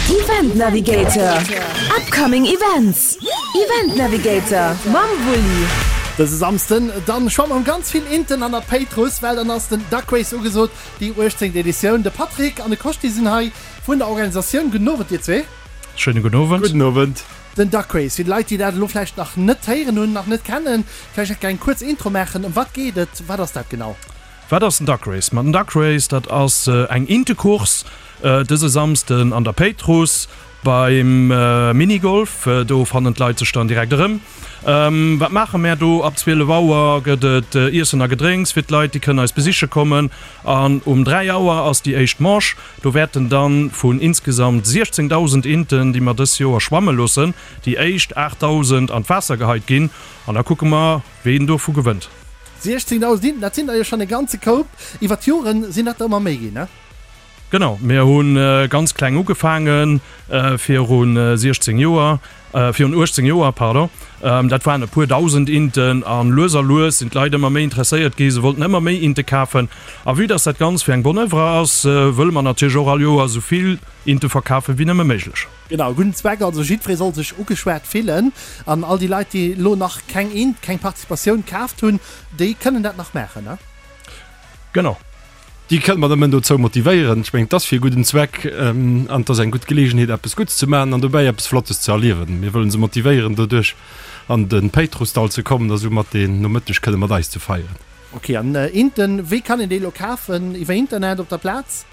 Event Navigator, Upcoming Events, Event Navigator mam Wulli. Dëse Samsden dann schwamme mer ganz vill Inten an der Péitruss, well dann ass den Duck Race ugesot, déi 18. Editioun. De Patrick an de Koscht, déi sinn hei vun der Organisatioun. Gudden Owend dir zwee. Schéine gudden Owend. Gudden Owend. Den Duck Race, fir déi Leit déi dat elo vläicht nach net héieren hunn, nach net kennen, vläicht eng kuerz Intro maachen. Ëm wat geet et? Wat ass dat genau? Wat ass den Duck Race? Ma den Duck Race, dat ass eng Intecourse dëse Samsden an der Péitruss beim Minigolf. Do fannen d'Leit sech dann direkt erëm. Wat maache mär do? Ab 12 Auer gëtt et Iessen a Gedrénks fir d'Leit, déi kënnen eis besiche kommen. An um 3 Auer ass déi éischt Manche. Do wäerten dann vun insgesamt 16.000 Inten, déi mer dës Joer schwamme loossen, déi éischt 8.000 an d'Waasser geheit ginn. An da kucke mer, ween dovu gewënnt. 16.000 Inten, dat sinn der jo schonn e ganze Koup. Iwwer d'Joren sinn dat der ëmmer méi ginn, ne? Genau, mir hu ganz kleng ugefaange viru 16 Joer, virun 18 Joer, pardon. Dat waren e puer dausend Inten a lues a lues sinn d'Leit ëmmer méi interesséiert gi, se wollten ëmmer méi Inte kafen. A vue dass dat Ganzt fir eng bonne Oeuvre ass, wëlle mer natierlech och all Joer esou vill Inte verkafen, wéi nëmme méiglech. Genau, e gudden Zweck, also jiddweree soll sech ugeschwat fillen. An all déi Leit, déi elo nach keng Int, keng Participatioun kaaft hunn, déi kënnen dat nach maachen, ne? Genau. Déi kënne mer nëmmen dozou motivéieren. Ech mengen, et ass fir e gudden Zweck an et ass eng gutt Geleegenheet, eppes Gutts ze maachen an dobäi eppes Flottes ze erliewen. Mir wëllen se motivéieren, doduerch an de Péitrussdall ze kommen a soumat deen Nomëtteg kënne mat eis ze feieren. Ok, an Inten, wéi kann een déi elo kafen? Iwwer Internet, op der Plaz?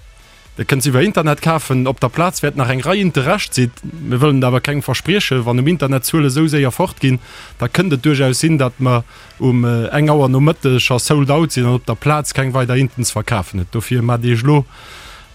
Der kënnt se iwwer Internet kafen. Op der Plaz wäerten nach eng Rei Inte Rescht sinn. Mir wëllen et awer kengem verspriechen. Wann um Internet d'Zuele sou séier fort ginn, da kënnt et duerchaus sinn, datt mer um eng Auer nomëtteg scho sold out sinn an op der Plaz keng weider Inten ze verkafen huet. Dofir maacht Iech elo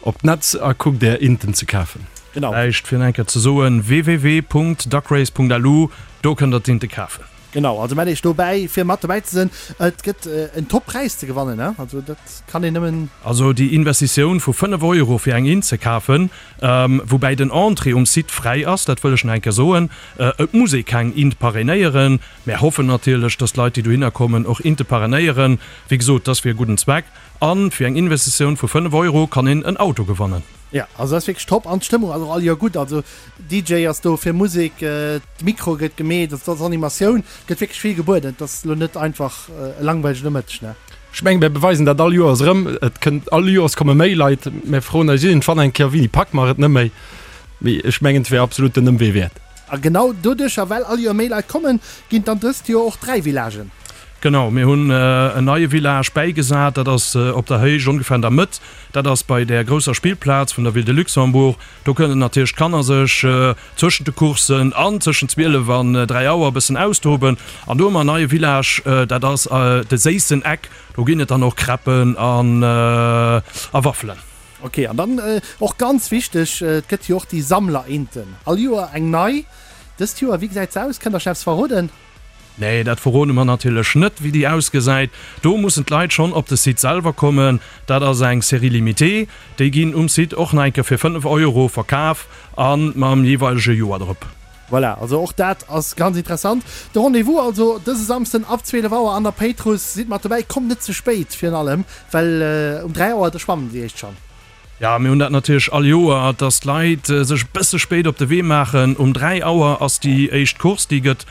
op d'Netz a kuckt Är Inten ze kafen. Genau. Vläicht fir eng Kéier ze soen, www.duckrace.lu, do kënnt der d'Inte kafen. Genau, also mellt iech do bäi fir mat dobäi ze sinn. Et gëtt en top Präis ze gewannen, ne? Also dat kann een nëmmen. Also déi Investitioun vu 5 Euro fir eng Int ze kafen, woubäi den Entrée um Site fräi ass, dat wëll ech nach eng Kéier soen, et muss ee keng Int parrainéieren. Mär hoffen natierlech, dass d'Leit déi dohinner kommen och Inte parrainéieren. Wéi gesot, dat ass fir e gudden Zweck a fir eng Investitioun vu 5 Euro kann een en Auto gewannen. Jo, also dat ass wierklech top an d'Stëmmung ass och all Joer gutt. Also DJ ass do fir Musek, d'Mikro gëtt gemeet, also et ass Animatioun, gëtt wierklech vill gebueden. Et ass elo net einfach e langweilegen Nomëtteg, ne? Ech mengen, mir beweisen dat all Joers erëm. Et kënnt, all Joers komme méi Leit. Mir froen eis iergendwann eng Kéier, Wéini packe mer et net méi? Mee ech mengen, et wär absolut den Ëmwee wäert. A genau doduercher, well all Joer méi Leit kommen, ginn et dann dëst Joer och 3 Villagen. Genau, mir hunn en neie Village bäigesat. Dat ass op der Héicht, ongeféier an der Mëtt. Dat ass bei där grousser Spillplaz vun der Ville de Luxembourg. Do kënnen natierlech d'Kanner sech zwëschent de Coursen an tëschent 12 an 3 Auer e bëssen austoben. An do hu mer en neie Village, dat ass de séissen Eck. Do ginn et dann och Crêpen a Waffelen. Ok, an dann och ganz wichteg, et gëtt jo och déi Sammlerinten. All Joer eng nei. Dëst Joer, wéi gesäit se aus? Kënnt der schonn eppes verroden? Nee, dat verrode mer natierlech net, wéi déi ausgesäit. Do mussen d'Leit schonn op de Site selwer kommen. Dat ass eng Série limitée. Déi ginn um Site och nach eng Kéier fir 5 Euro verkaf a mam jeeweilege Joer drop. Voilà, also och dat ass ganz interessant. De Rendez-vous also dëse Samsden ab 12 Auer an der Péitruss. Sidd mat dobäi, kommt net ze spéit virun allem, well um 3 Auer da schwammen déi éischt schonn. Jo, mir hunn dat natierlech all Joer, dass d'Leit sech e bësse spéit op de Wee maachen. Um 3 Auer ass déi éischt Course, déi gëtt,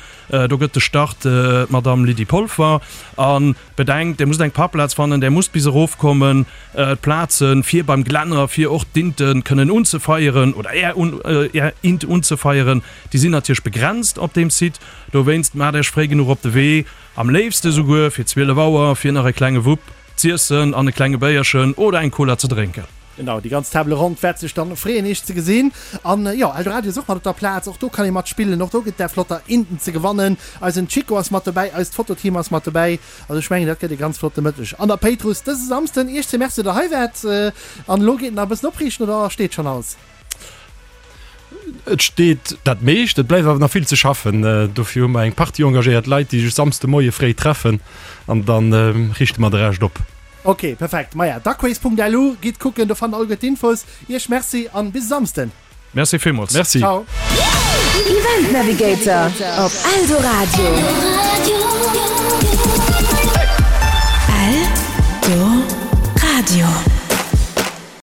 do gëtt de Start d'Madamm Lydie Polfer. A bedenkt, Dir musst eng Parkplaz fannen, Der musst bis erofkommen, d'Plaze fir beim Glänner, fir och d'Inte kënnen unzefeieren oder Är Är Int unzefeieren, déi sinn natierlech begrenzt op deem Site. Dowéinst maacht Iech fréi genuch op de Wee, am léifste souguer fir 12 Auer, fir nach e klenge Wupp Z'iessen an e klenge Béierchen oder eng Cola ze drénken. Genau, déi ganz Table ronde wäert sech dann freeën iech ze gesinn. An jo, Eldoradio ass och mat op der Plaz, och do kann ee mat spillen, och do gëtt där flotter Inten ze gewannen. Eisen Chico ass mat dobäi, eist Fototeam ass mat dobäi. Also ech mengen dat gëtt e ganz flotte Mëtteg an der Péitruss dëse Samsden. Iech ze Merci datt der hei waart. An elo geet nach e bëssen opriichten oder steet schonn alles? Et steet dat meescht, et bleift awer nach vill ze schaffen. Dofir hu mer eng Partie engagéiert Leit, déi sech Samsde Moie fréi treffen an da riichte mer de Rescht op. Ok, perfekt. Maja, duckrace.lu, gitt kucken, do fannt der alleguer d'Infos. Iech Merci an bis e Samsden. Merci villmools. Merci. Ciao. Event Navigator op Eldoradio. Eldoradio. Eldoradio.